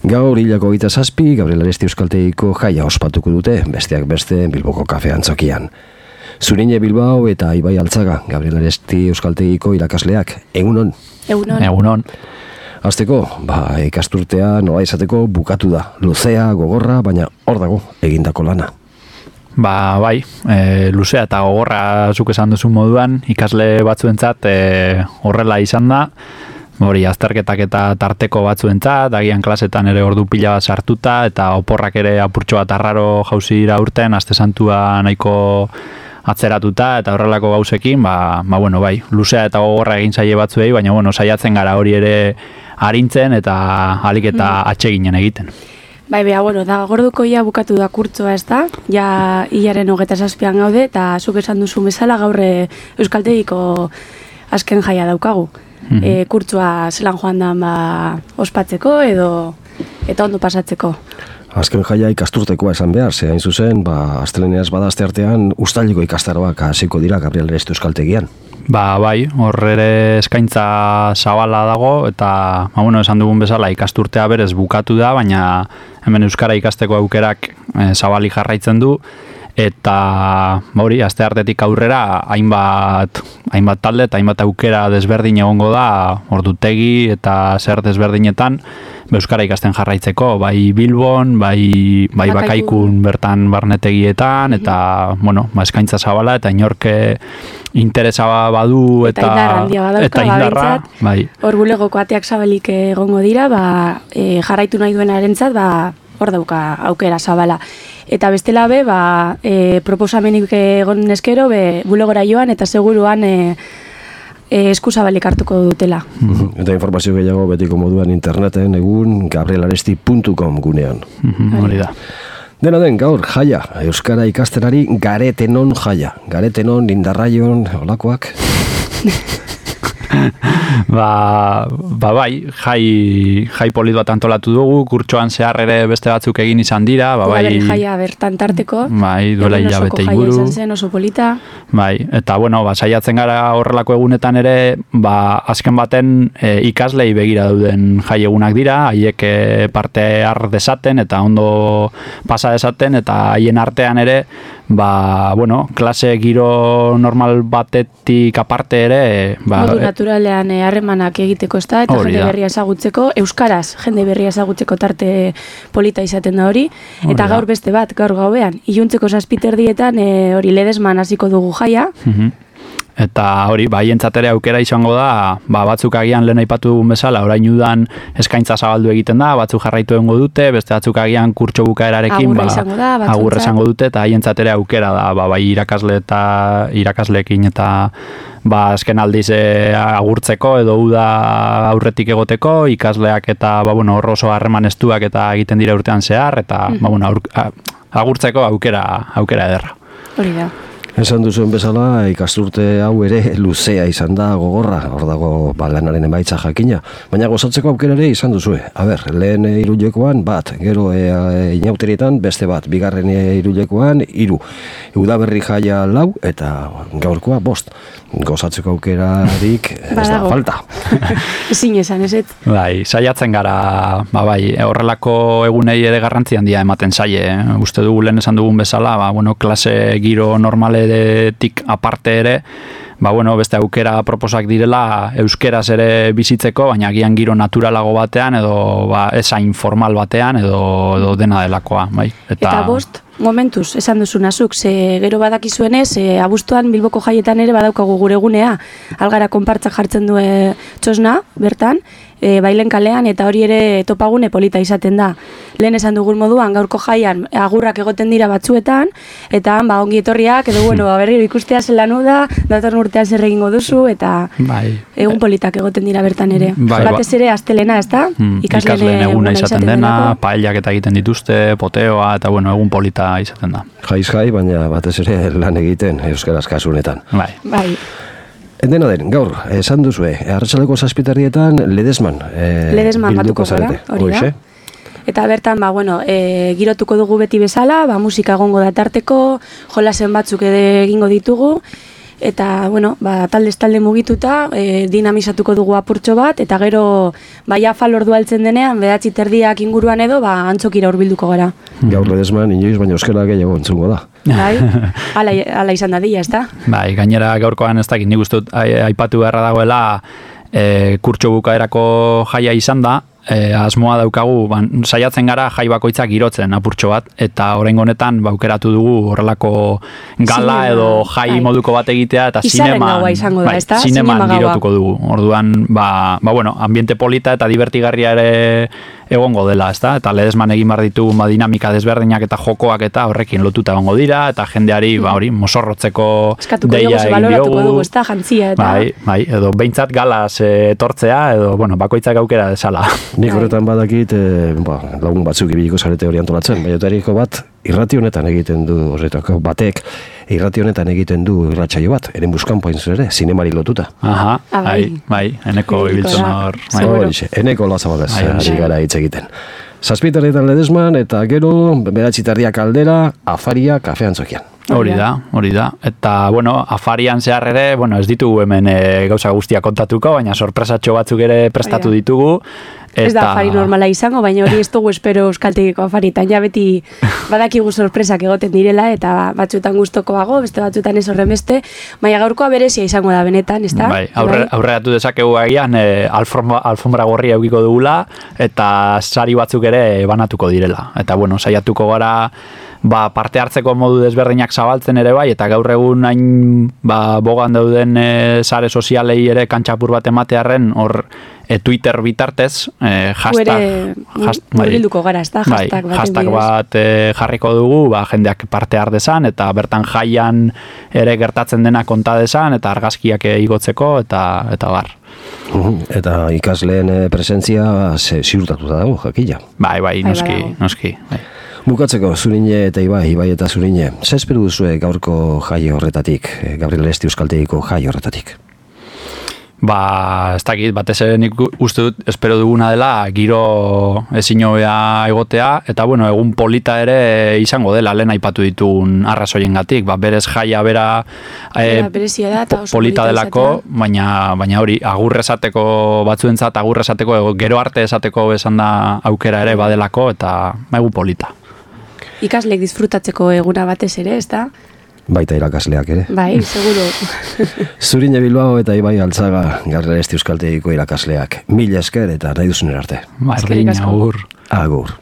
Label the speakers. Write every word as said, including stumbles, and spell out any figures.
Speaker 1: Gaur hilako hogeita zazpi, Gabriel Aresti Euskaltegiko jaia ospatuko dute, besteak beste Bilboko kafe antzokian. Zurine Bilbao eta Ibai Altzaga, Gabriel Aresti Euskaltegiko irakasleak, egunon?
Speaker 2: Egunon.
Speaker 3: Egunon.
Speaker 1: Azteko, ba, ikasturtea nola izateko bukatu da, luzea, gogorra, baina hor dago egindako lana.
Speaker 3: Ba, bai, e, luzea eta gogorra zuk esan duzun moduan, ikasle batzuentzat e, horrela izan da, hori azterketak eta tarteko batzuentzat, agian klasetan ere ordu pila bat sartuta, eta oporrak ere apurtxo bat arraro jauzi dira urten, aste santua nahiko atzeratuta, eta horrelako gauzekin, ba, ba bueno, bai, luzea eta gogorra egin zaie batzuei, baina bueno, saiatzen gara hori ere arintzen eta alik eta atseginen egiten.
Speaker 2: Bai, beha, bueno, da gorduko ia bukatu da kurtzoa, ez da? Ja, hilaren hogeta zazpian gaude, eta zuk esan duzu bezala gaurre Euskaltegiko azken jaia daukagu. Mm-hmm. E, kurtzoa zelan joan da ba, ospatzeko edo eta ondo pasatzeko.
Speaker 1: Azken jaia ikasturtekoa esan behar, ze hain zuzen, ba, asteleneaz badazte artean ustailiko ikastaroak hasiko dira Gabriel Aresti Euskaltegian.
Speaker 3: Ba, bai, hor ere eskaintza zabala dago, eta, ba, bueno, esan dugun bezala ikasturtea berez bukatu da, baina hemen euskara ikasteko aukerak e, zabali jarraitzen du, eta hori, aste artetik aurrera hainbat, hainbat talde eta hainbat aukera desberdin egongo da, ordutegi eta zer desberdinetan, euskara ikasten jarraitzeko, bai Bilbon, bai, bai Bakaikun bertan barnetegietan, eta, bueno, ba, eskaintza zabala, eta inorke interesa badu, eta,
Speaker 2: eta indarra handia badauka,
Speaker 3: eta indarra, bai.
Speaker 2: Hor bulegoko ateak zabalik egongo dira, ba, e, jarraitu nahi duenarentzat, ba, hor dauka aukera zabala. Eta bestela be, ba, e, proposamenik egon eskero, be, bulegora joan, eta seguruan e, e, eskuzabalik hartuko dutela.
Speaker 1: Mm-hmm. Eta informazio gehiago betiko moduan interneten egun gabriel aresti puntu com gunean.
Speaker 3: Mm-hmm, hori da.
Speaker 1: Dena den, gaur, jaia, euskara ikastenari garetenon jaia. Garetenon, indarraion, olakoak.
Speaker 3: ba, ba bai, jai, jai polit bat antolatu dugu, kurtsoan zehar ere beste batzuk egin izan dira, ba bai.
Speaker 2: Jaia bertan tarteko.
Speaker 3: Bai, duela hilabete inguru.
Speaker 2: Jaia izan zen, oso polita.
Speaker 3: Bai, eta bueno, ba, saiatzen gara horrelako egunetan ere, ba, azken baten e, ikaslei begira dauden jai egunak dira, haiek e, parte har desaten eta ondo pasa desaten, eta haien artean ere, ba, bueno, klase giro normal batetik aparte ere, ba,
Speaker 2: modu naturalean harremanak e, egiteko ez da, eta jende berria ezagutzeko, euskaraz jende berria ezagutzeko tarte polita izaten da hori, eta gaur beste bat, gaur gauean, iluntzeko zazpiterdietan e, hori ledesman hasiko dugu jaia.
Speaker 3: Mm-hmm. Eta hori, ba, hientzat ere aukera izango da, ba, batzuk agian lehen aipatu dugun bezala, orain udan eskaintza zabaldu egiten da, batzuk jarraitu egongo dute, beste batzuk agian kurtso bukaerarekin,
Speaker 2: agurra ba, izango da,
Speaker 3: agurra izango dute, eta hientzat ere aukera da, ba, bai irakasle eta irakasleekin eta ba, azken aldiz e, agurtzeko edo uda aurretik egoteko, ikasleak eta ba, bueno, oso harreman estuak eta egiten dira urtean zehar, eta mm. ba, bueno, aur, a, agurtzeko aukera, aukera ederra.
Speaker 2: Hori da.
Speaker 1: Esan duzuen bezala, ikasturte hau ere luzea izan da gogorra, hor dago ba, lanaren emaitza jakina, baina gozatzeko aukera ere izan duzue. A ber, lehen hirulekoan bat, gero e, e, inauterietan beste bat, bigarren hirulekoan hiru. Udaberri jaia lau eta gaurkoa bost. Gozatzeko aukerarik ez da falta.
Speaker 2: Ezin esan, ez et?
Speaker 3: Bai, saiatzen gara, ba, bai, horrelako egunei ere garrantzi handia ematen zaie. Eh? Uste dugu lehen esan dugun bezala, ba, bueno, klase giro normaletik aparte ere, ba, bueno, beste aukera proposak direla euskeraz ere bizitzeko, baina agian giro naturalago batean edo ba, esain formal batean edo, edo dena delakoa. Bai? Eta,
Speaker 2: eta bost, momentuz, esan duzunazuk, ze gero badakizuenez, e, abuztuan Bilboko jaietan ere badaukagu gure gunea, algara konpartzak jartzen du e, txosna, bertan, e, bailen kalean, eta hori ere topagune polita izaten da. Lehen esan dugun moduan, gaurko jaian agurrak egoten dira batzuetan, eta ba, ongi etorriak, edo bueno, berriro ikustea zelan da, datorren urtean zer egingo duzu, eta
Speaker 3: bai.
Speaker 2: egun politak egoten dira bertan ere.
Speaker 3: Bai,
Speaker 2: batez ere, astelena, ez da?
Speaker 3: Mm, ikasleen eguna izaten dena, paellak eta egiten dituzte, poteoa, eta bueno, egun polita izaten da.
Speaker 1: Jaiz jai, baina batez ere lan egiten euskaraz kasunetan.
Speaker 3: Bai.
Speaker 2: Bai.
Speaker 1: Dena den, gaur, esan duzue, arratsaleko zazpiterdietan ledesman. E,
Speaker 2: ledesman batuko gara, hori da. Eta bertan, ba, bueno, e, girotuko dugu beti bezala, ba, musika egongo da tarteko, jolasen batzuk ere egingo ditugu, eta, bueno, ba, taldez talde mugituta, e, dinamizatuko dugu apurtxo bat, eta gero, bai afal ordua heltzen denean, behatzi terdiak inguruan edo, ba, antzokira hurbilduko gara.
Speaker 1: Gaur ledesman, inoiz, baina euskara gehiago entzungo da.
Speaker 2: Bai, ala, ala izan dadila, ez da?
Speaker 3: Bai, gainera gaurkoan ez dakit, nik uste dut aipatu beharra dagoela, e, kurtso bukaerako jaia izan da, E, asmoa daukagu, ban, saiatzen gara jai bakoitzak girotzen apurtxo bat, eta oraingo honetan baukeratu dugu horrelako gala Zinema, edo jai bai. moduko bat egitea, eta zineman,
Speaker 2: bai,
Speaker 3: da, zineman girotuko dugu. Orduan, ba, ba, bueno, ambiente polita eta divertigarria ere egongo dela, ezta? Eta ledesman egin behar ditugu ba, dinamika desberdinak eta jokoak eta horrekin lotuta egongo dira, eta jendeari, ba, hori, mosorrotzeko deia egin diogu.
Speaker 2: Dugu, ezta, jantzia, eta...
Speaker 3: Bai, bai, edo behintzat galaz etortzea, edo, bueno, bakoitzak aukera desala.
Speaker 1: Nik horretan badakit, e, ba, lagun batzuk ibiliko zarete hori antolatzen, baina eriko bat, irrati honetan egiten du, horretako batek, irrati honetan egiten du irratsaio bat, eren buskan pointz ere, zinemari lotuta.
Speaker 3: Aha, ah, bai, bai, eneko ibiltzen hor.
Speaker 1: Eneko lazabalez, ari gara hitz egiten. Zazpitaretan ledesman, eta gero, beratxitarriak aldera, afaria kafean zokian.
Speaker 3: Hori da, hori da. Eta, bueno, afarian zehar ere, bueno, ez ditugu hemen e, gauza guztia kontatuko, baina sorpresatxo batzuk ere prestatu ditugu.
Speaker 2: Ez da afari normala izango, baina hori ez dugu espero euskaltegiko afaritan. Ja beti badakigu sorpresak egoten direla, eta batzuetan gustokoago, beste batzuetan ez horren beste, baina gaurkoa berezia izango da benetan, ez da?
Speaker 3: Bai, aurre, aurreratu dezakegu agian, e, alfombra, alfombra gorria eukiko dugula, eta sari batzuk ere banatuko direla. Eta, bueno, saiatuko gara ba, parte hartzeko modu desberdinak zabaltzen ere bai, eta gaur egun hain ba, bogan dauden e, sare sozialei ere kantxapur bat ematearen, hor e, Twitter bitartez, e, hashtag,
Speaker 2: murgilduko gara, ez da?
Speaker 3: Bai, hashtag bat e, jarriko dugu, ba, jendeak parte har dezan, eta bertan jaian ere gertatzen dena konta dezan, eta argazkiak igotzeko, eta, eta bar.
Speaker 1: Eta ikasleen presentzia ziurtatuta dago, jakila.
Speaker 3: Bai, bai, noski, noski, bai.
Speaker 1: Bukatzeko, Zurine eta Ibai, Ibai eta Zurine, ze espero duzue gaurko jai horretatik, Gabriel Esti Euskaltegiko jai horretatik?
Speaker 3: Ba, ez dakit, batez ere nik uste dut espero duguna dela giro ezin hobea egotea, eta bueno, egun polita ere izango dela, lehen aipatu ditugun arrazoiengatik, ba, berez jaia bera e,
Speaker 2: da,
Speaker 3: po, polita delako, baina, baina hori, agurrezateko batzuentzat, agurrezateko, gero arte esateko esan da aukera ere badelako, eta egun polita.
Speaker 2: Ikaslek disfrutatzeko eguna batez ere, ez da?
Speaker 1: Baita irakasleak ere.
Speaker 2: Bai, seguro.
Speaker 1: Zurine Bilbao eta Ibai Altzaga, Gabriel Esti Euskaltegiko irakasleak. Mila esker eta nahi duzun arte.
Speaker 3: Bardin, agur.
Speaker 1: Agur.